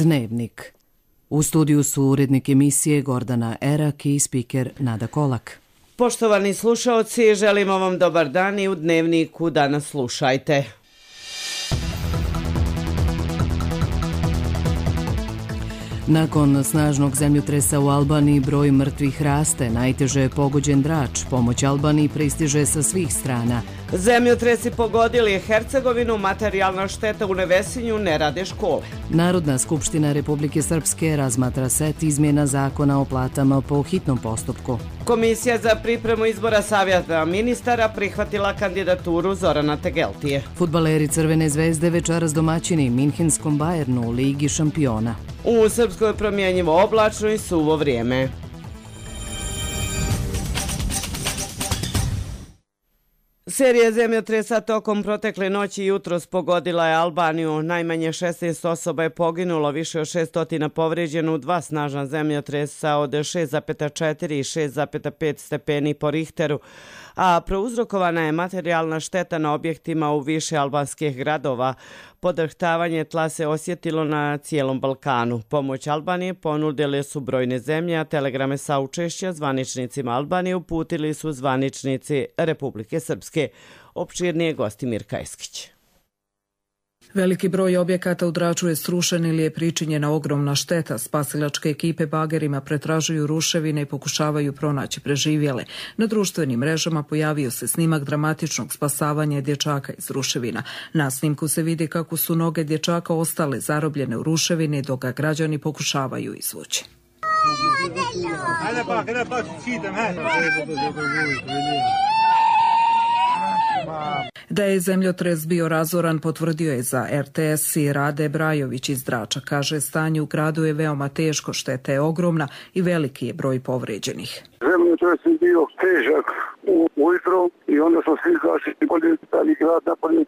Dnevnik. U studiju su urednik emisije Gordana Erak i spiker Nada Kolak. Poštovani slušaoci, želimo vam dobar dan i u Dnevniku danas slušajte. Nakon snažnog zemljotresa u Albaniji broj mrtvih raste, najteže je pogođen Drač, pomoć Albaniji pristiže sa svih strana. Zemljotresi pogodili Hercegovinu, materijalna šteta u Nevesinju, ne rade škole. Narodna skupština Republike Srpske razmatra set izmjena zakona o platama po hitnom postupku. Komisija za pripremu izbora savjeta ministara prihvatila kandidaturu Zorana Tegeltije. Fudbaleri Crvene zvezde večeras domaćini Minhenskom Bayernu u Ligi šampiona. U Srpskoj promjenjivo oblačno i suvo vrijeme. Serija zemljotresa tokom protekle noći i jutros pogodila je Albaniju. Najmanje 16 osoba je poginulo, više od 600 povrijeđeno u dva snažna zemljotresa od 6,4 i 6,5 stepeni po Richteru, a prouzrokovana je materijalna šteta na objektima u više albanskih gradova. Podrhtavanje tla se osjetilo na cijelom Balkanu. Pomoć Albanije ponudile su brojne zemlje, a telegrame saučešća zvaničnicima Albanije uputili su zvaničnici Republike Srpske. Opširnije gosti Mirka Eskić. Veliki broj objekata u Draču je srušen ili je pričinjena ogromna šteta. Spasilačke ekipe bagerima pretražuju ruševine i pokušavaju pronaći preživjele. Na društvenim mrežama pojavio se snimak dramatičnog spasavanja dječaka iz ruševina. Na snimku se vidi kako su noge dječaka ostale zarobljene u ruševini dok ga građani pokušavaju izvući. Da je zemljotres bio razoran potvrdio je za RTS i Rade Brajović iz Drača. Kaže, stanje u gradu je veoma teško, šteta je ogromna i veliki je broj povrijeđenih. Zemljotres je bio težak ujutro i onda smo svi zaštiti bolje stali grad napolje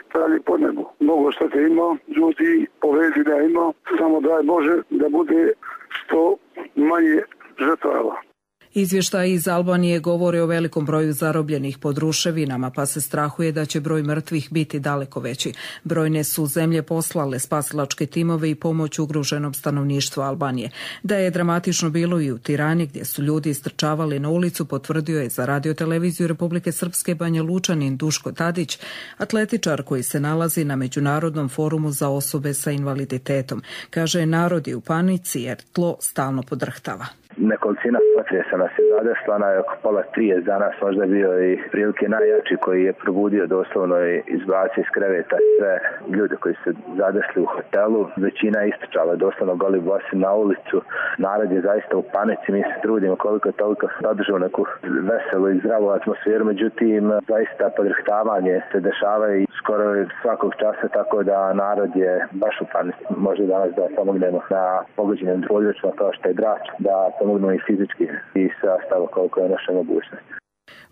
stali po nebu. Mnogo štete ima, ljudi povređenja ima, samo daj Bože da bude što manje žrtava. Izvještaji iz Albanije govore o velikom broju zarobljenih pod ruševinama, pa se strahuje da će broj mrtvih biti daleko veći. Brojne su zemlje poslale spasilačke timove i pomoć ugroženom stanovništvu Albanije. Da je dramatično bilo i u Tirani, gdje su ljudi istrčavali na ulicu, potvrdio je za radioteleviziju Republike Srpske Banja Lučanin Duško Tadić, atletičar koji se nalazi na Međunarodnom forumu za osobe sa invaliditetom. Kaže, narod je u panici jer tlo stalno podrhtava. Nekolicina potresa nas je zadesla, oko 2:30 danas možda bio i prilike najjači koji je probudio doslovno i izbacio iz kreveta sve ljude koji su zadesli u hotelu. Većina je istrčala doslovno goli bosi na ulicu. Narod je zaista u panici, mi se trudimo koliko toliko zadržao neku veselu i zdravu atmosferu, međutim zaista podrhtavanje se dešava i skoro svakog časa, tako da narod je baš u panici. Možda danas da pomognemo na pogođenim područjima kao što je Drač, da pomognu i fizički i sastavo koliko je naša mogućnost.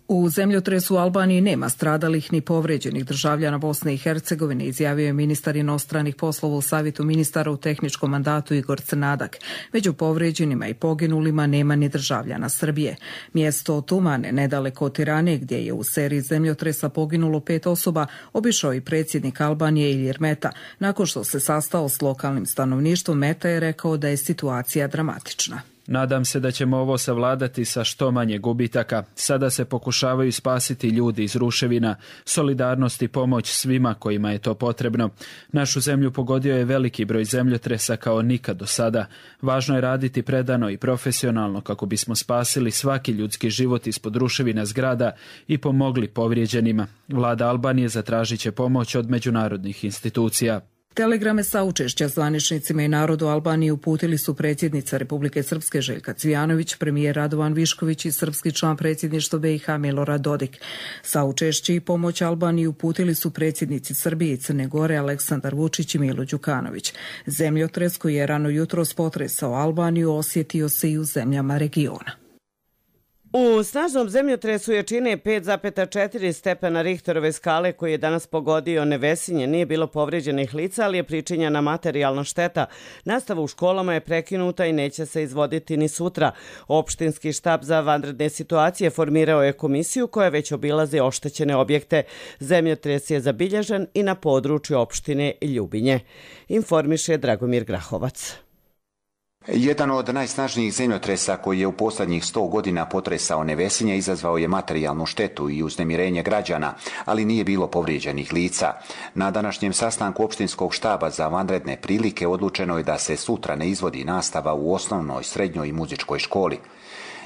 U zemljotresu u Albaniji nema stradalih ni povrijeđenih državljana Bosne i Hercegovine, izjavio je ministar inostranih poslova u Savjetu ministara u tehničkom mandatu Igor Crnadak. Među povrijeđenima i poginulima nema ni državljana Srbije. Mjesto Tumane, nedaleko od Tirane, gdje je u seriji zemljotresa poginulo 5 osoba, obišao i predsjednik Albanije Ilir Meta. Nakon što se sastao s lokalnim stanovništvom, Meta je rekao da je situacija dramatična. Nadam se da ćemo ovo savladati sa što manje gubitaka. Sada se pokušavaju spasiti ljudi iz ruševina, solidarnost i pomoć svima kojima je to potrebno. Našu zemlju pogodio je veliki broj zemljotresa kao nikad do sada. Važno je raditi predano i profesionalno kako bismo spasili svaki ljudski život ispod ruševina zgrada i pomogli povrijeđenima. Vlada Albanije zatražit će pomoć od međunarodnih institucija. Telegrame saučešća zvaničnicima i narodu Albanije uputili su predsjednica Republike Srpske Željka Cvijanović, premijer Radovan Višković i srpski član predsjedništva BiH Milorad Dodik. Saučešće i pomoć Albaniji uputili su predsjednici Srbije i Crne Gore Aleksandar Vučić i Milo Đukanović. Zemljotres koji je rano jutros potresao Albaniju osjetio se i u zemljama regiona. U snažnom zemljotresu jačine 5,4 stepena Richterove skale koji je danas pogodio Nevesinje nije bilo povređenih lica, ali je pričinjena materijalna šteta. Nastava u školama je prekinuta i neće se izvoditi ni sutra. Opštinski štab za vanredne situacije formirao je komisiju koja već obilazi oštećene objekte. Zemljotres je zabilježen i na području opštine Ljubinje. Informiše Dragomir Grahovac. Jedan od najsnažnijih zemljotresa koji je u posljednjih 100 godina potresao Nevesinje izazvao je materijalnu štetu i uznemirenje građana, ali nije bilo povrijeđenih lica. Na današnjem sastanku opštinskog štaba za vanredne prilike odlučeno je da se sutra ne izvodi nastava u osnovnoj, srednjoj i muzičkoj školi.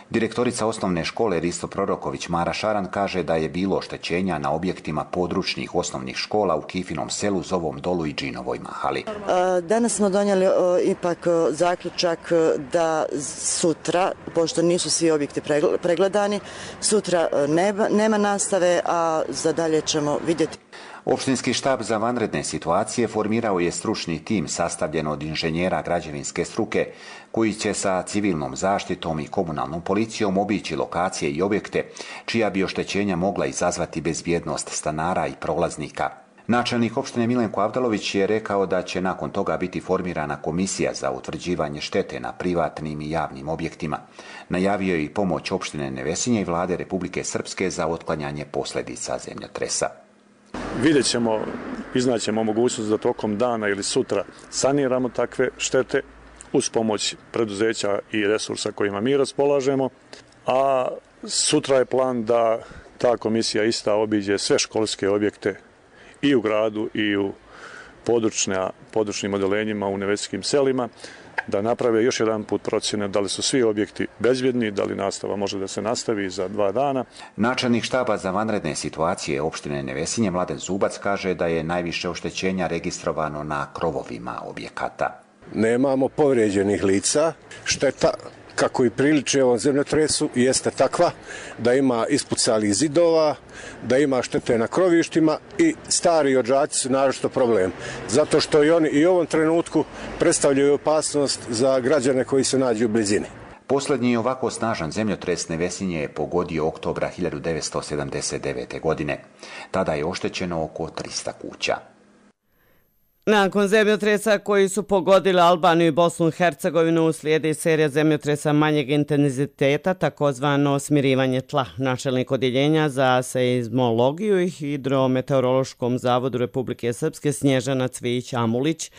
Direktorica osnovne škole Risto Proroković Mara Šaran kaže da je bilo oštećenja na objektima područnih osnovnih škola u Kifinom selu, Zovom dolu i Džinovoj mahali. Danas smo donijeli ipak zaključak da sutra, pošto nisu svi objekti pregledani, sutra nema nastave, a za dalje ćemo vidjeti. Opštinski štab za vanredne situacije formirao je stručni tim sastavljen od inženjera građevinske struke koji će sa civilnom zaštitom i komunalnom policijom obići lokacije i objekte čija bi oštećenja mogla izazvati bezbjednost stanara i prolaznika. Načelnik opštine Milenko Avdalović je rekao da će nakon toga biti formirana komisija za utvrđivanje štete na privatnim i javnim objektima. Najavio je i pomoć opštine Nevesinje i vlade Republike Srpske za otklanjanje posljedica zemljotresa. Vidjet ćemo, iznaćemo mogućnost da tokom dana ili sutra saniramo takve štete uz pomoć preduzeća i resursa kojima mi raspolažemo, a sutra je plan da ta komisija obiđe sve školske objekte i u gradu i u područnim odelenjima u nevesinskim selima, da naprave još jedan put procjene da li su svi objekti bezbjedni, da li nastava može da se nastavi za 2 dana. Načelnik štaba za vanredne situacije opštine Nevesinje Mladen Zubac kaže da je najviše oštećenja registrovano na krovovima objekata. Nemamo povrijeđenih lica, šteta kako i priliči ovom zemljotresu jeste takva da ima ispucalih zidova, da ima štete na krovištima i stari odžaci su naročito problem. Zato što i oni i u ovom trenutku predstavljaju opasnost za građane koji se nađu u blizini. Posljednji ovako snažan zemljotres Nevesinje je pogodio oktobra 1979. godine. Tada je oštećeno oko 300 kuća. Nakon zemljotresa koji su pogodili Albaniju i Bosnu i Hercegovinu slijedi serija zemljotresa manjeg intenziteta, takozvano smirivanje tla. Načelnik odjeljenja za seizmologiju i hidrometeorološkom zavodu Republike Srpske Snježana Cvijić-Amulić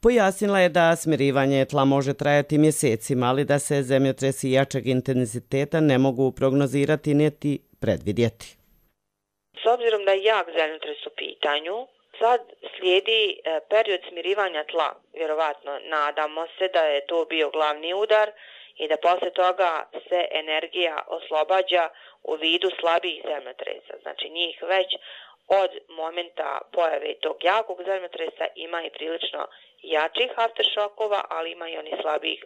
pojasnila je da smirivanje tla može trajati mjesecima, ali da se zemljotresi jačeg intenziteta ne mogu prognozirati niti predvidjeti. S obzirom da je jak zemljotres u pitanju, sad slijedi period smirivanja tla. Vjerovatno nadamo se da je to bio glavni udar i da poslije toga se energija oslobađa u vidu slabijih zemljotresa. Znači njih već od momenta pojave tog jakog zemljotresa ima i prilično jačih afteršokova, ali ima i onih slabijih.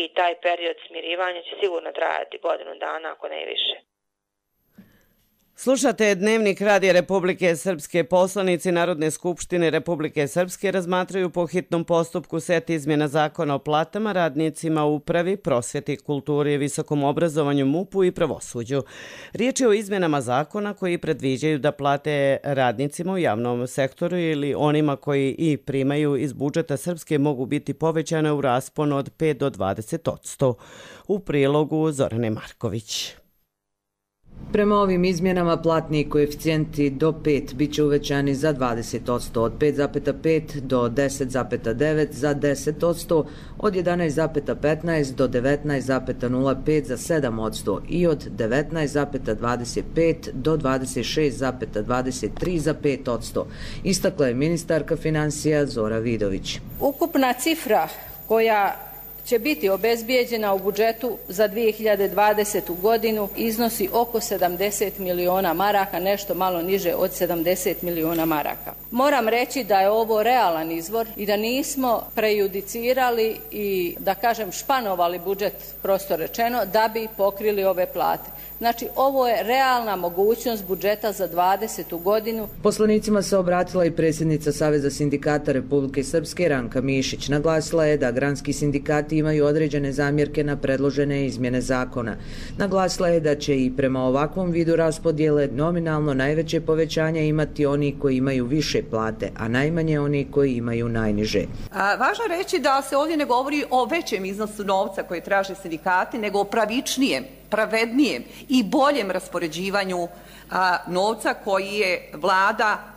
I taj period smirivanja će sigurno trajati 1 dana, ako ne više. Slušate Dnevnik Radija Republike Srpske. Poslanici Narodne skupštine Republike Srpske razmatraju po hitnom postupku set izmjena zakona o platama radnicima u upravi, prosvjeti, kulturi, visokom obrazovanju, MUP-u i pravosuđu. Riječ je o izmjenama zakona koji predviđaju da plate radnicima u javnom sektoru ili onima koji i primaju iz budžeta Srpske mogu biti povećane u rasponu od 5 do 20%. U prilogu Zorane Marković. Prema ovim izmjenama platni koeficijenti do 5 bit će uvećani za 20%, od 5,5 do 10,9 za 10%, od 11,15 do 19,05 za 7% i od 19,25 do 26,23 za 5%, istakla je ministarka financija Zora Vidović. Ukupna cifra koja će biti obezbijeđena u budžetu za 2020. godinu iznosi oko 70 miliona maraka, nešto malo niže od 70 miliona maraka. Moram reći da je ovo realan izvor i da nismo prejudicirali i, da kažem, španovali budžet, prosto rečeno, da bi pokrili ove plate. Znači, ovo je realna mogućnost budžeta za 2020. godinu. Poslanicima se obratila i predsjednica Saveza sindikata Republike Srpske Ranka Mišić. Naglasila je da granski sindikati sindikati imaju određene zamjerke na predložene izmjene zakona. Naglasila je da će i prema ovakvom vidu raspodjele nominalno najveće povećanje imati oni koji imaju više plate, a najmanje oni koji imaju najniže. Važno je reći da se ovdje ne govori o većem iznosu novca koje traže sindikati, nego o pravičnijem, pravednijem i boljem raspoređivanju novca koji je vlada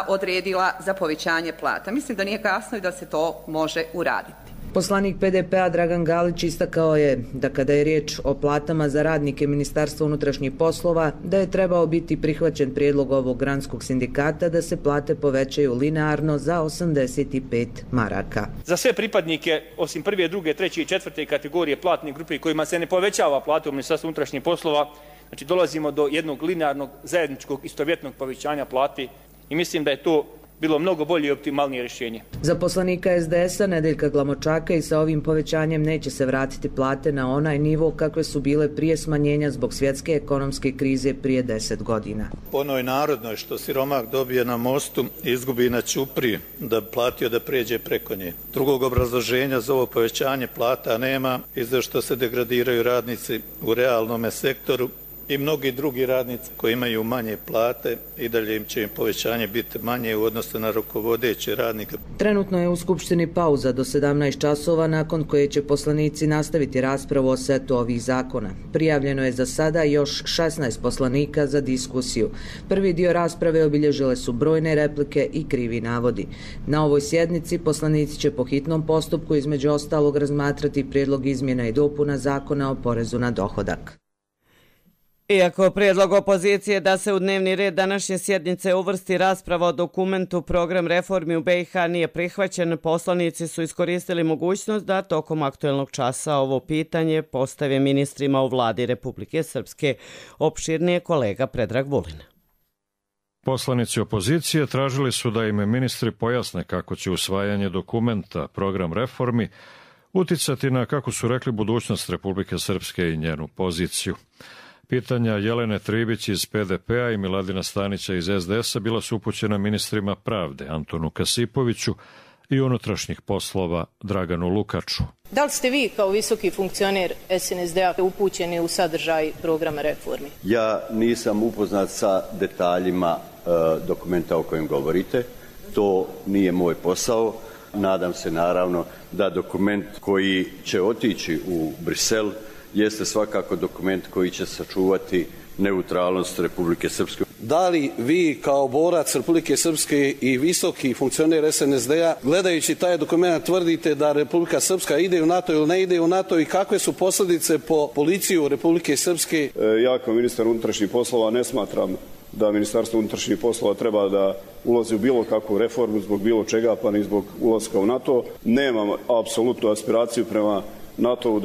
odredila za povećanje plata. Mislim da nije kasno i da se to može uraditi. Poslanik PDP-a Dragan Galić istakao je da kada je riječ o platama za radnike Ministarstva unutrašnjih poslova, da je trebao biti prihvaćen prijedlog ovog granskog sindikata da se plate povećaju linearno za 85 maraka. Za sve pripadnike, osim prve, druge, treće i četvrte kategorije platnih grupe kojima se ne povećava plata u Ministarstvu unutrašnjih poslova, znači dolazimo do jednog linearnog zajedničkog istovjetnog povećanja plati i mislim da je to bilo mnogo bolje i optimalnije rješenje. Za poslanika SDS-a Nedeljka Glamočaka i sa ovim povećanjem neće se vratiti plate na onaj nivo kakve su bile prije smanjenja zbog svjetske ekonomske krize prije 10 godina. Onoj narodnoj što siromak dobije na mostu izgubi na ćupriji da platio da pređe preko nje. Drugog obrazloženja za ovo povećanje plata nema i za što se degradiraju radnici u realnom sektoru i mnogi drugi radnici koji imaju manje plate i dalje će im povećanje biti manje u odnosu na rukovodeće radnike. Trenutno je u Skupštini pauza do 17 časova nakon koje će poslanici nastaviti raspravu o setu ovih zakona. Prijavljeno je za sada još 16 poslanika za diskusiju. Prvi dio rasprave obilježile su brojne replike i krivi navodi. Na ovoj sjednici poslanici će po hitnom postupku između ostalog razmatrati prijedlog izmjena i dopuna zakona o porezu na dohodak. Iako prijedlog opozicije da se u dnevni red današnje sjednice uvrsti rasprava o dokumentu Program reformi u BiH nije prihvaćen, poslanici su iskoristili mogućnost da tokom aktuelnog časa ovo pitanje postave ministrima u vladi Republike Srpske. Opširnije kolega Predrag Vulin. Poslanici opozicije tražili su da im ministri pojasne kako će usvajanje dokumenta Program reformi uticati na, kako su rekli, budućnost Republike Srpske i njenu poziciju. Pitanja Jelene Tribić iz PDP-a i Miladina Stanića iz SDS-a bila su upućena ministrima pravde Antonu Kasipoviću i unutrašnjih poslova Draganu Lukaču. Da li ste vi kao visoki funkcioner SNSD-a upućeni u sadržaj programa reformi? Ja nisam upoznat sa detaljima dokumenta o kojem govorite. To nije moj posao. Nadam se naravno da dokument koji će otići u Brisel jeste svakako dokument koji će sačuvati neutralnost Republike Srpske. Da li vi kao borac Republike Srpske i visoki funkcioner SNSD-a gledajući taj dokument tvrdite da Republika Srpska ide u NATO ili ne ide u NATO i kakve su posljedice po policiju Republike Srpske? Ja kao ministar unutrašnjih poslova ne smatram da Ministarstvo unutrašnjih poslova treba da ulazi u bilo kakvu reformu zbog bilo čega, pa ni zbog ulaska u NATO. Nemam apsolutnu aspiraciju prema NATO-u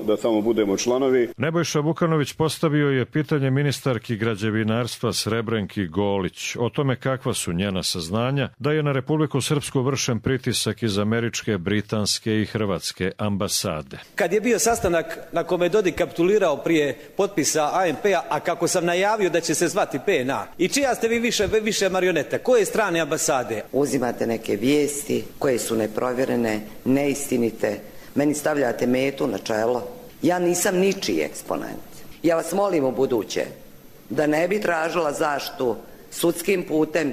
da tamo budemo članovi. Nebojša Vukanović postavio je pitanje ministarki građevinarstva Srebrenki Golić o tome kakva su njena saznanja da je na Republiku Srpsku vršen pritisak iz američke, britanske i hrvatske ambasade. Kad je bio sastanak na kome je Dodik kapitulirao prije potpisa ANP-a, a kako sam najavio da će se zvati PNA, i čija ste vi više marioneta? Koje strane ambasade? Uzimate neke vijesti koje su neprovjerene, neistinite, meni stavljate metu na čelo. Ja nisam ničiji eksponent. Ja vas molim u buduće da ne bi tražila zaštitu sudskim putem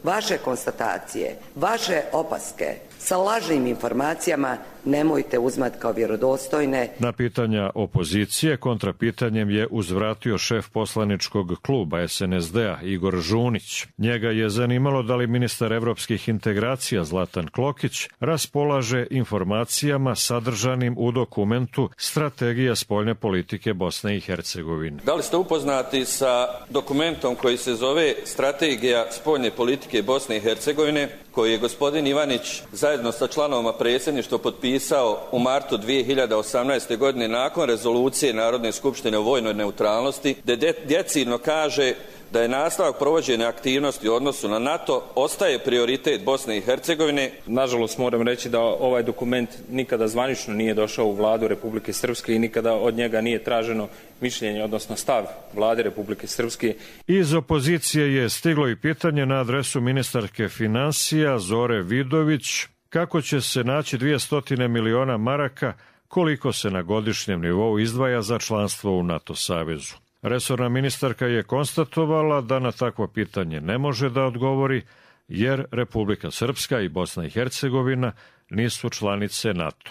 vaše konstatacije, vaše opaske sa lažnim informacijama nemojte uzmati kao vjerodostojne. Na pitanja opozicije kontrapitanjem je uzvratio šef poslaničkog kluba SNSD-a Igor Žunić. Njega je zanimalo da li ministar evropskih integracija Zlatan Klokić raspolaže informacijama sadržanim u dokumentu Strategija spoljne politike Bosne i Hercegovine. Da li ste upoznati sa dokumentom koji se zove Strategija spoljne politike Bosne i Hercegovine, koji je gospodin Ivanić zajedno sa članovima predsjedništva potpisao u martu 2018. godine nakon rezolucije Narodne skupštine o vojnoj neutralnosti, gdje decidno kaže da je nastavak provođenja aktivnosti u odnosu na NATO ostaje prioritet Bosne i Hercegovine. Nažalost moram reći da ovaj dokument nikada zvanično nije došao u vladu Republike Srpske i nikada od njega nije traženo mišljenje, odnosno stav vlade Republike Srpske. Iz opozicije je stiglo i pitanje na adresu ministarke financija Zore Vidović kako će se naći 200 miliona maraka koliko se na godišnjem nivou izdvaja za članstvo u NATO savezu. Resorna ministarka je konstatovala da na takvo pitanje ne može da odgovori, jer Republika Srpska i Bosna i Hercegovina nisu članice NATO.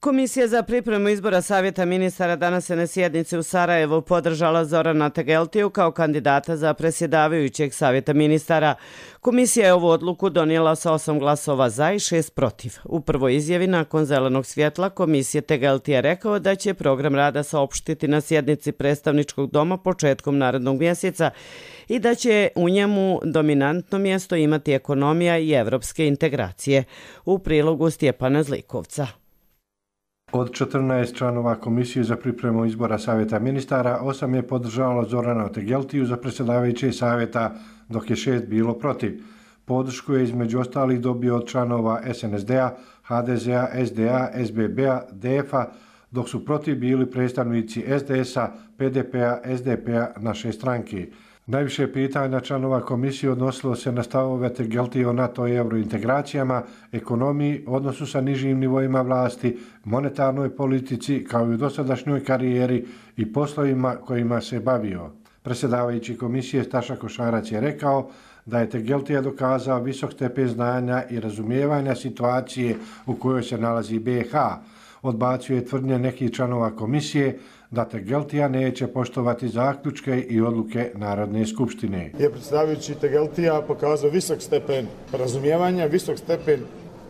Komisija za pripremu izbora Savjeta ministara danas je na sjednici u Sarajevu podržala Zorana Tegeltiju kao kandidata za predsjedavajućeg Savjeta ministara. Komisija je ovu odluku donijela sa 8 glasova za i 6 protiv. U prvoj izjavi nakon zelenog svjetla komisije Tegeltija rekao da će program rada saopštiti na sjednici predstavničkog doma početkom narednog mjeseca i da će u njemu dominantno mjesto imati ekonomija i evropske integracije. U prilogu Stjepana Zlikovca. Od 14 članova Komisije za pripremu izbora Savjeta ministara, 8 je podržalo Zorana Tegeltiju za predsjedavajućeg savjeta, dok je 6 bilo protiv. Podršku je između ostalih dobio od članova SNSD-a, HDZ-a, SDA, SBB-a, DF-a, dok su protiv bili predstavnici SDS-a, PDP-a, SDP-a, naše stranke. Najviše pitanja članova komisije odnosilo se na stavove Tegeltije o NATO i eurointegracijama, ekonomiji, odnosu sa nižim nivoima vlasti, monetarnoj politici kao i u dosadašnjoj karijeri i poslovima kojima se bavio. Predsjedavajući komisije Staša Košarac je rekao da je Tegeltija dokazao visok stepen znanja i razumijevanja situacije u kojoj se nalazi BiH. Odbacio je tvrdnje nekih članova komisije da Tegeltija neće poštovati zaključke i odluke Narodne skupštine. Je predsjedavajući Tegeltija pokazao visok stepen razumijevanja, visok stepen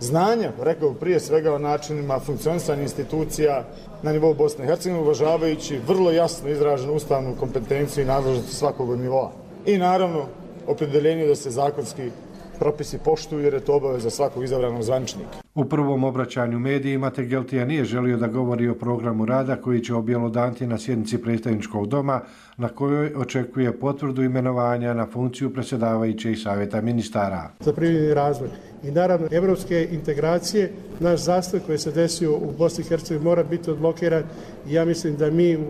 znanja, rekao prije svega o načinima funkcionisanja institucija na nivou Bosne i Hercegovine, uvažavajući vrlo jasno izraženu ustavnu kompetenciju i nadležnost svakog nivoa. I naravno, opredjeljenje da se zakonski propisi poštuju jer je to obaveza svakog izabranog zvaničnika. U prvom obraćanju medijima Tegeltija nije želio da govori o programu rada koji će objelodaniti na sjednici predstavničkog doma na kojoj očekuje potvrdu imenovanja na funkciju predsjedavajućeg Savjeta ministara. Za privredni razvoj i naravno evropske integracije, naš zastoj koji se desio u Bosni i Hercegovini mora biti odblokiran i ja mislim da mi u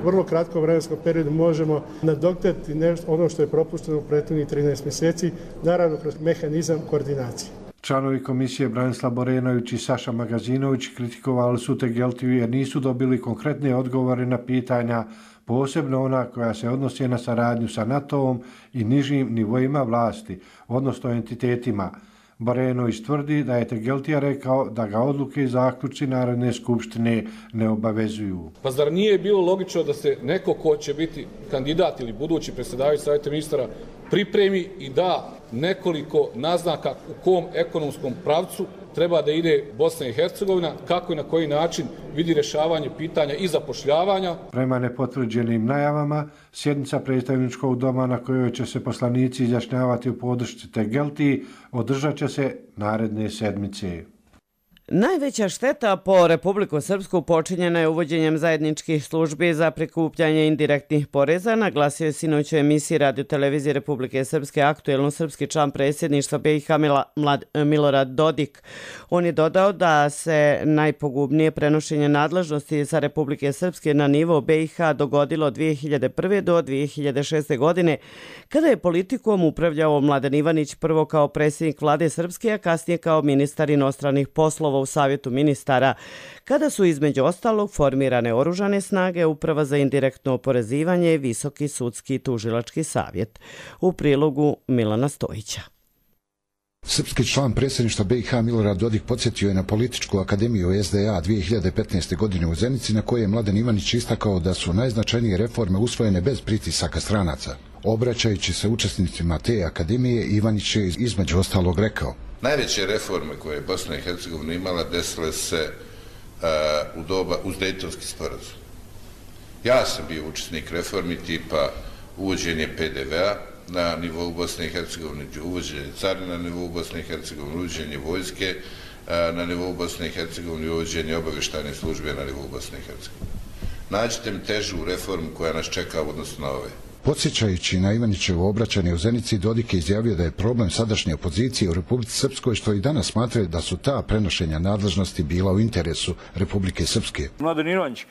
vrlo kratkom vremenskom periodu možemo nadoknaditi ono što je propušteno u prethodnih 13 mjeseci, naravno kroz mehanizam koordinacije. Članovi komisije Branislav Borenović i Saša Magazinović kritikovali su Tegeltiju jer nisu dobili konkretne odgovore na pitanja, posebno ona koja se odnosi na saradnju sa NATO-om i nižim nivoima vlasti, odnosno entitetima. Borenović tvrdi da je Tegeltija rekao da ga odluke i zaključci Narodne skupštine ne obavezuju. Pa zar nije bilo logično da se neko ko će biti kandidat ili budući predsjedavajući Savjeta ministara pripremi i da nekoliko naznaka u kom ekonomskom pravcu treba da ide Bosna i Hercegovina, kako i na koji način vidi rješavanje pitanja i zapošljavanja. Prema nepotvrđenim najavama, sjednica predstavničkog doma na kojoj će se poslanici izjašnjavati u podršci Tegeltiji održat će se naredne sedmice. Najveća šteta po Republiku Srpsku počinjena je uvođenjem zajedničkih službi za prikupljanje indirektnih poreza, naglasio je sinoć u emisiji Radio-televizije Republike Srpske aktuelno srpski član predsjedništva BiH Milorad Dodik. On je dodao da se najpogubnije prenošenje nadležnosti sa Republike Srpske na nivo BiH dogodilo od 2001. do 2006. godine, kada je politikom upravljao Mladen Ivanić prvo kao predsjednik vlade Srpske, a kasnije kao ministar inostranih poslova u Savjetu ministara, kada su između ostalog formirane oružane snage, Uprava za indirektno oporezivanje i Visoki sudski tužilački savjet. U prilogu Milana Stojića. Srpski član predsjedništva BiH Milorad Dodik podsjetio je na političku akademiju SDA 2015. godine u Zenici, na kojoj je Mladen Ivanić istakao da su najznačajnije reforme usvojene bez pritisaka stranaca. Obraćajući se učesnicima te akademije, Ivanić je između ostalog rekao: najveće reforme koje je Bosna i Hercegovina imala desile se u doba uz Dejtonski sporazum. Ja sam bio učesnik reformi tipa uvođenje PDV-a na nivou Bosne i Hercegovine, uvođenje carina na nivou Bosne i Hercegovine, uvođenje vojske na nivou Bosne i Hercegovine i uvođenje obavještajne službe na nivou Bosne i Hercegovine. Nađite mi težu reformu koja nas čeka u odnosu na ove. Podsjećajući na Ivanićevo obraćanje u Zenici, Dodik je izjavio da je problem sadašnje opozicije u Republici Srpskoj što i danas smatraju da su ta prenošenja nadležnosti bila u interesu Republike Srpske. Mladen Ivanić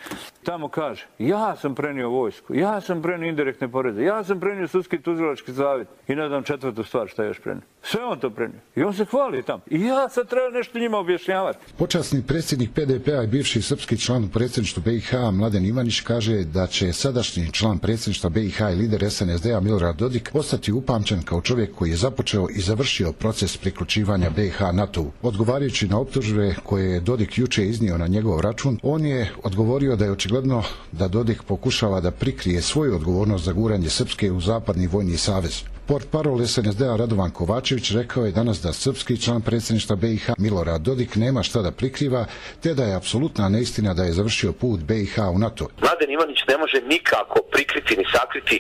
tamo kaže, ja sam prenio vojsku, ja sam prenio indirektne poreze, ja sam prenio sudski tužilački savjet i ne znam četvrtu stvar šta je još prenio. Sve on to prenio. I on se hvali tamo. I ja sad treba nešto njima objašnjavati. Počasni predsjednik PDP-a i bivši srpski član u predsjedništvu BiH Mladen Ivanić kaže da će sadašnji član predsjedništva BiH i lider SNSD-a Milorad Dodik ostati upamćen kao čovjek koji je započeo i završio proces priključivanja BiH NATO-u. Odgovarajući na optužbe koje je Dodik juče iznio na njegov račun, on je odgovorio da je očigledno da Dodik pokušava da prikrije svoju odgovornost za guranje Srpske u zapadni vojni savez. Portparol SNSD-a Radovan Kovačević rekao je danas da srpski član predsjedništva BiH Milorad Dodik nema šta da prikriva, te da je apsolutna neistina da je završio put BiH u NATO. Mladen Ivanić ne može nikako prikriti ni sakriti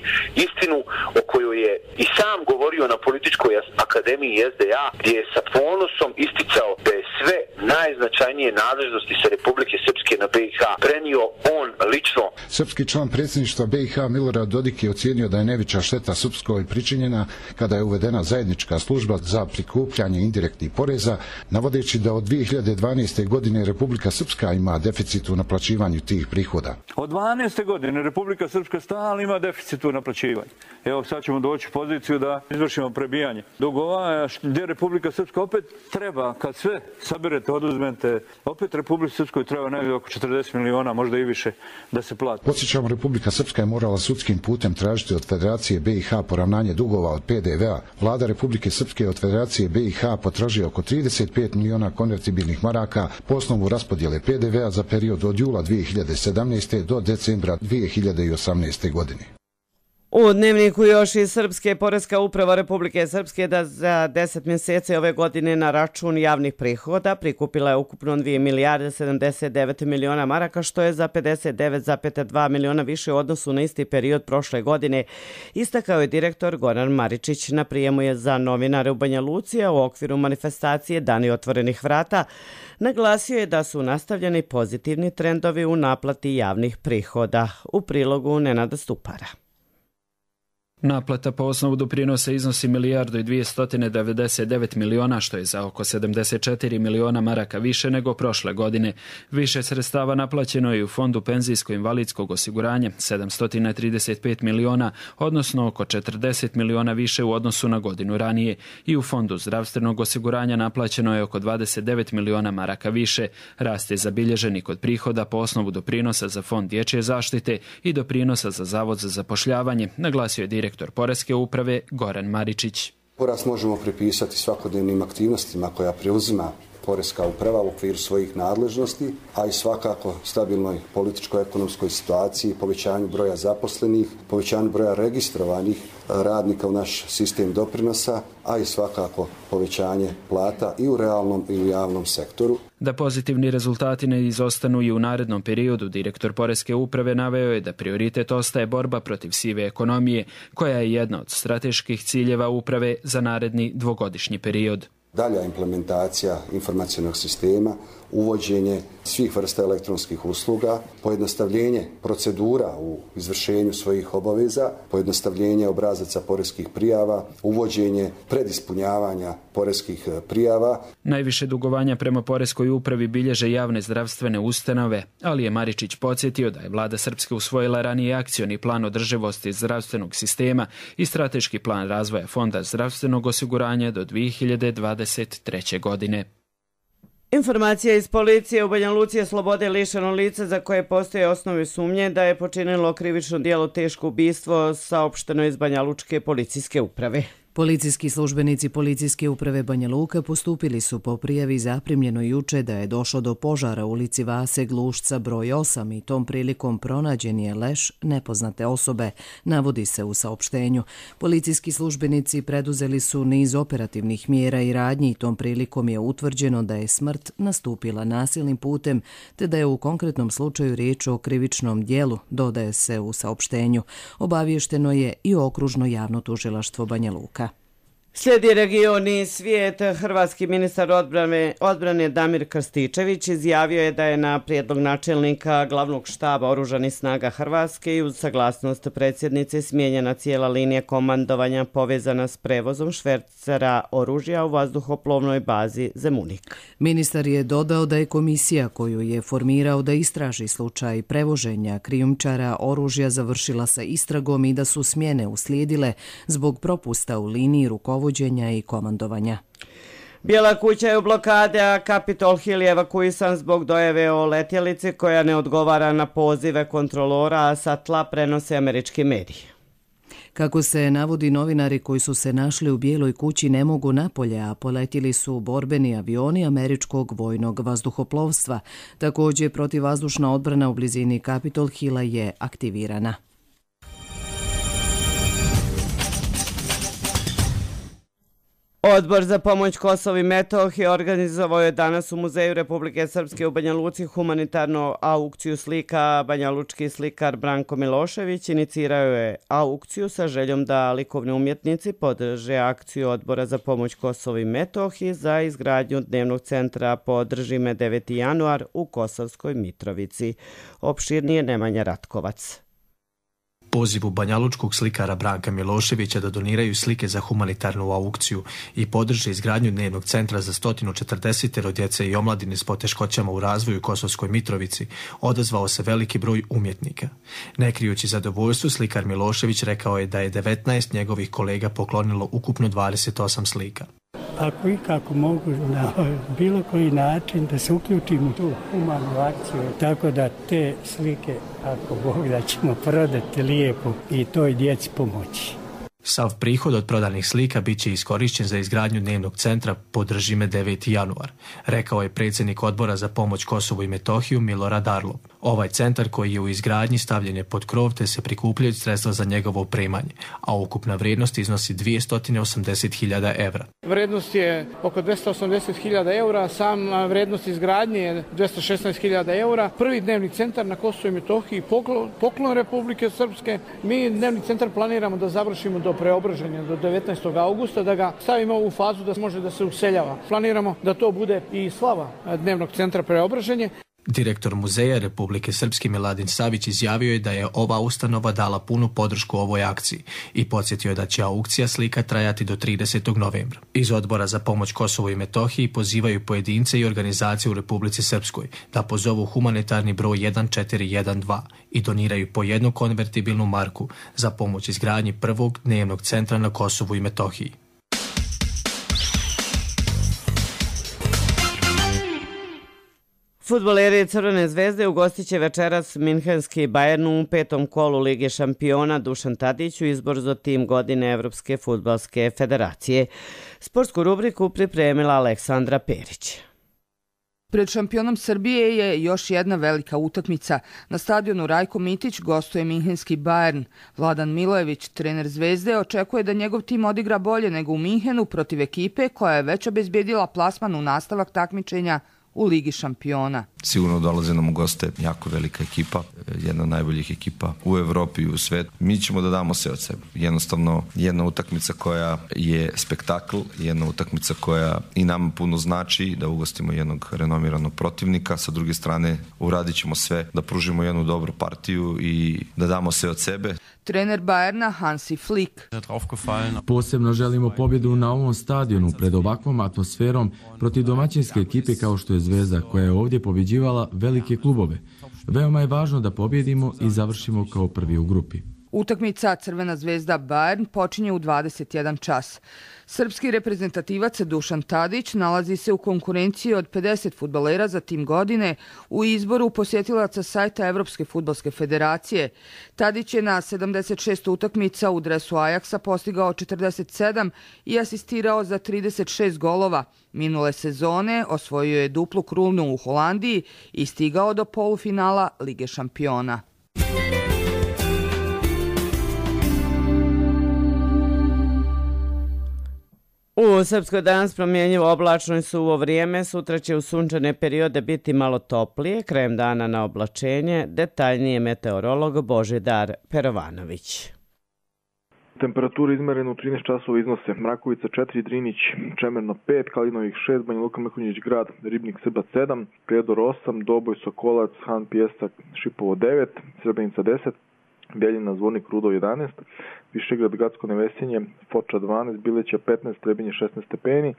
istinu o kojoj je i sam govorio na Političkoj akademiji SDA, gdje je sa ponosom isticao da je sve najznačajnije nadležnosti sa Republike Srpske na BiH prenio on lično. Srpski član predsjedništva BiH Milorad Dodik je ocijenio da je najveća šteta Srpskoj pričinjena kada je uvedena zajednička služba za prikupljanje indirektnih poreza, navodeći da od 2012. godine Republika Srpska ima deficit u naplaćivanju tih prihoda. Od 12. godine Republika Srpska stalno ima deficit u naplaćivanju. Evo sad ćemo doći u poziciju da izvršimo prebijanje dugova, gdje Republika Srpska opet treba, kad sve saberete, oduzmete, opet Republika Srpskoj treba negdje oko 40 miliona, možda i više, da se plati. Podsjećamo, Republika Srpska je morala sudskim putem tražiti od Federacije BiH poravnanje dugova od PDV-a. Vlada Republike Srpske od Federacije BiH potražuje oko 35 miliona konvertibilnih maraka po osnovu raspodjele PDV-a za period od jula 2017. do decembra 2018. godine. U Dnevniku još i Srpske poreska uprava Republike Srpske da za 10 mjeseci ove godine na račun javnih prihoda prikupila je ukupno 2 milijarde 79 miliona maraka, što je za 59,2 miliona više u odnosu na isti period prošle godine, istakao je direktor Goran Maričić na prijemu je za novinare u Banja Luci, a u okviru manifestacije Dani otvorenih vrata. Naglasio je da su nastavljeni pozitivni trendovi u naplati javnih prihoda. U prilogu Nenada Stupara. Naplata po osnovu doprinosa iznosi 1 milijardu i 299 miliona, što je za oko 74 miliona maraka više nego prošle godine. Više sredstava naplaćeno je i u Fondu penzijsko-invalidskog osiguranja, 735 miliona, odnosno oko 40 miliona više u odnosu na godinu ranije. I u Fondu zdravstvenog osiguranja naplaćeno je oko 29 miliona maraka više. Rast je zabilježen i kod prihoda po osnovu doprinosa za Fond dječje zaštite i doprinosa za Zavod za zapošljavanje, naglasio je direktor Poreske uprave Goran Maričić. Porast možemo pripisati svakodnevnim aktivnostima koja preuzima Poreska uprava u okviru svojih nadležnosti, a i svakako stabilnoj političko-ekonomskoj situaciji, povećanju broja zaposlenih, povećanju broja registrovanih radnika u naš sistem doprinosa, a i svakako povećanje plata i u realnom i u javnom sektoru. Da pozitivni rezultati ne izostanu i u narednom periodu, direktor Poreske uprave naveo je da prioritet ostaje borba protiv sive ekonomije, koja je jedna od strateških ciljeva uprave za naredni dvogodišnji period. Dalja implementacija informacionog sistema, uvođenje svih vrsta elektronskih usluga, pojednostavljenje procedura u izvršenju svojih obaveza, pojednostavljenje obrazaca poreskih prijava, uvođenje predispunjavanja poreskih prijava. Najviše dugovanja prema Poreskoj upravi bilježe javne zdravstvene ustanove, ali je Maričić podsjetio da je vlada Srpske usvojila ranije akcioni plan održivosti zdravstvenog sistema i strateški plan razvoja Fonda zdravstvenog osiguranja do 2023. godine. Informacija iz policije u Banja Luci je slobode lišeno lice za koje postoje osnovi sumnje da je počinilo krivično djelo teško ubistvo, saopšteno iz Banja Lučke policijske uprave. Policijski službenici Policijske uprave Banja Luka postupili su po prijavi zaprimljeno juče da je došlo do požara u ulici Vase Glušca broj 8 i tom prilikom pronađen je leš nepoznate osobe, navodi se u saopštenju. Policijski službenici preduzeli su niz operativnih mjera i radnji i tom prilikom je utvrđeno da je smrt nastupila nasilnim putem, te da je u konkretnom slučaju riječ o krivičnom djelu, dodaje se u saopštenju. Obavješteno je i okružno javno tužilaštvo Banja Luka. Slijedi region i svijet. Hrvatski ministar odbrane Damir Krstičević izjavio je da je na prijedlog načelnika glavnog štaba Oružanih snaga Hrvatske i uz saglasnost predsjednice smijenjena cijela linija komandovanja povezana s prevozom švercera oružja u vazduhoplovnoj bazi Zemunik. Ministar je dodao da je komisija koju je formirao da istraži slučaj prevoženja krijumčara oružja završila sa istragom i da su smjene uslijedile zbog propusta u liniji rukovođenja i komandovanja. Bijela kuća je u blokade, a Capitol Hill je evakuisan zbog dojave o letjelici koja ne odgovara na pozive kontrolora, a sa tla prenose američki mediji. Kako se navodi, novinari koji su se našli u Bijeloj kući ne mogu napolje, a poletjeli su borbeni avioni američkog vojnog vazduhoplovstva. Također, protivvazdušna odbrana u blizini Capitol Hilla je aktivirana. Odbor za pomoć Kosovu i Metohiji organizovao je danas u Muzeju Republike Srpske u Banja Luci humanitarnu aukciju slika. banjalučki slikar Branko Milošević inicirao je aukciju sa željom da likovni umjetnici podrže akciju Odbora za pomoć Kosovu i Metohiji za izgradnju dnevnog centra Podrži me 9. januar u Kosovskoj Mitrovici. Opširnije Nemanja Ratkovac. Pozivu banjalučkog slikara Branka Miloševića da doniraju slike za humanitarnu aukciju i podrže izgradnju dnevnog centra za 140 djece i omladine s poteškoćama u razvoju u Kosovskoj Mitrovici odazvao se veliki broj umjetnika. Ne krijući zadovoljstvo, slikar Milošević rekao je da je 19 njegovih kolega poklonilo ukupno 28 slika. Ako i kako mogu na bilo koji način da se uključim u tu humanu akciju, tako da te slike, ako Bog da, ćemo prodati lijepo i toj djeci pomoći. Sav prihod od prodanih slika bit će iskorišćen za izgradnju dnevnog centra Podrži me 9. januar, rekao je predsjednik Odbora za pomoć Kosovu i Metohiju Milorad Arlov. Ovaj centar koji je u izgradnji stavljen je pod krov te se prikupljaju sredstva za njegovo opremanje, a ukupna vrijednost iznosi 280.000 evra. Vrijednost je oko 280.000 evra, sam vrijednost izgradnje je 216.000 evra. Prvi dnevni centar na Kosovu i Metohiji, poklon Republike Srpske. Mi dnevni centar planiramo da završimo do preobraženja, do 19. augusta, da ga stavimo u fazu da može da se useljava. Planiramo da to bude i slava dnevnog centra preobraženje. Direktor Muzeja Republike Srpske Miladin Savić izjavio je da je ova ustanova dala punu podršku ovoj akciji i podsjetio je da će aukcija slika trajati do 30. novembra. Iz Odbora za pomoć Kosovu i Metohiji pozivaju pojedince i organizacije u Republici Srpskoj da pozovu humanitarni broj 1412 i doniraju po jednu konvertibilnu marku za pomoć izgradnji prvog dnevnog centra na Kosovu i Metohiji. Fudbaleri Crvene zvezde ugostit će večeras minhenski Bayern u 5. kolu Lige šampiona. Dušan Tadić u izbor za tim godine Evropske fudbalske federacije. Sportsku rubriku pripremila Aleksandra Perić. Pred šampionom Srbije je još jedna velika utakmica. Na stadionu Rajko Mitić gostuje minhenski Bayern. Vladan Milojević, trener Zvezde, očekuje da njegov tim odigra bolje nego u Minhenu protiv ekipe koja je već obezbjedila plasman u nastavak takmičenja u Ligi šampiona. Sigurno dolaze nam u goste jako velika ekipa, jedna od najboljih ekipa u Evropi i u svijetu. Mi ćemo da damo sve od sebe. Jednostavno, jedna utakmica koja je spektakl, jedna utakmica koja i nama puno znači, da ugostimo jednog renomiranog protivnika. Sa druge strane, uradit ćemo sve da pružimo jednu dobru partiju i da damo sve od sebe. Trener Bayerna Hansi Flick. Posebno želimo pobjedu na ovom stadionu pred ovakvom atmosferom protiv domaćinske ekipe kao što je Zvezda, koja je ovdje pobjeđivala velike klubove. Veoma je važno da pobjedimo i završimo kao prvi u grupi. Utakmica Crvena zvezda Bayern počinje u 21 čas. Srpski reprezentativac Dušan Tadić nalazi se u konkurenciji od 50 fudbalera za tim godine u izboru posjetilaca sajta Evropske fudbalske federacije. Tadić je na 76 utakmica u dresu Ajaksa postigao 47 i asistirao za 36 golova. Minule sezone osvojio je duplu krunu u Holandiji i stigao do polufinala Lige šampiona. U Srpskoj danas promjenjivo oblačno i suvo vrijeme, sutra će u sunčane periode biti malo toplije, krajem dana na oblačenje, detaljnije meteorolog Božidar Perovanović. Temperature izmerene u 13 časova iznose Mrakovica 4, Drinić, Čemerno 5, Kalinovih 6, Banja Luka, Mrkonjić Grad, Ribnik, Srbac 7, Prijedor 8, Doboj, Sokolac, Han, Pijesak, Šipovo 9, Srebrenica 10, Bjeljina, Zvornik, Rudo 11, Višegrad, Gacko, Nevesinje, Foča 12, Bileća 15, Trebinje 16 stepeni.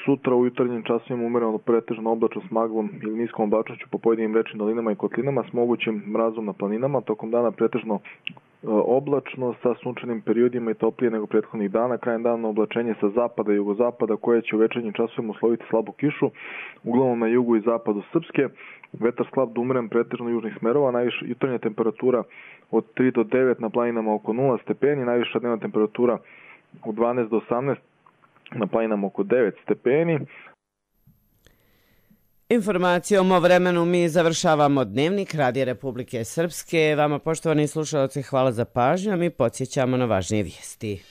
Sutra u jutarnjim časovima umereno pretežno oblačno s maglom ili niskom oblačnošću po pojedinim rečnim dolinama i kotlinama s mogućim mrazom na planinama. Tokom dana pretežno oblačno sa sunčanim periodima i toplije nego prethodnih dana. Krajem dana oblačenje sa zapada i jugozapada koje će u večernjim časovima usloviti slabu kišu, uglavnom na jugu i zapadu Srpske. Vetar slab do umeren pretežno južnih smerova, najviša jutarnja temperatura od 3 do 9 na planinama oko 0 stepeni, najviša dnevna temperatura od 12 do 18 na planinama oko 9 stepeni. Informacijom o vremenu mi završavamo dnevnik Radija Republike Srpske. Vama, poštovani slušalci, hvala za pažnju, a mi podsjećamo na važnije vijesti.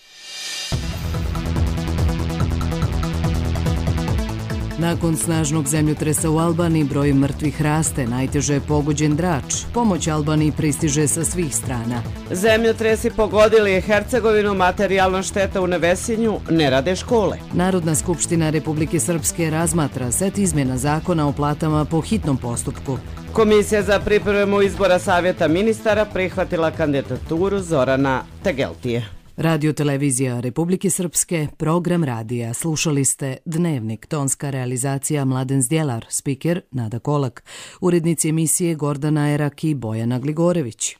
Nakon snažnog zemljotresa u Albaniji broj mrtvih raste, najteže je pogođen Drač. Pomoć Albaniji pristiže sa svih strana. Zemljotresi pogodili Hercegovinu, materijalna šteta u Nevesinju, ne rade škole. Narodna skupština Republike Srpske razmatra set izmjena zakona o platama po hitnom postupku. Komisija za pripremu izbora Savjeta ministara prihvatila kandidaturu Zorana Tegeltije. Radio televizija Republike Srpske, program radija. Slušali ste Dnevnik, tonska realizacija Mladen Zdjelar, spiker Nada Kolak, urednici emisije Gordana Erak i Bojana Gligorević.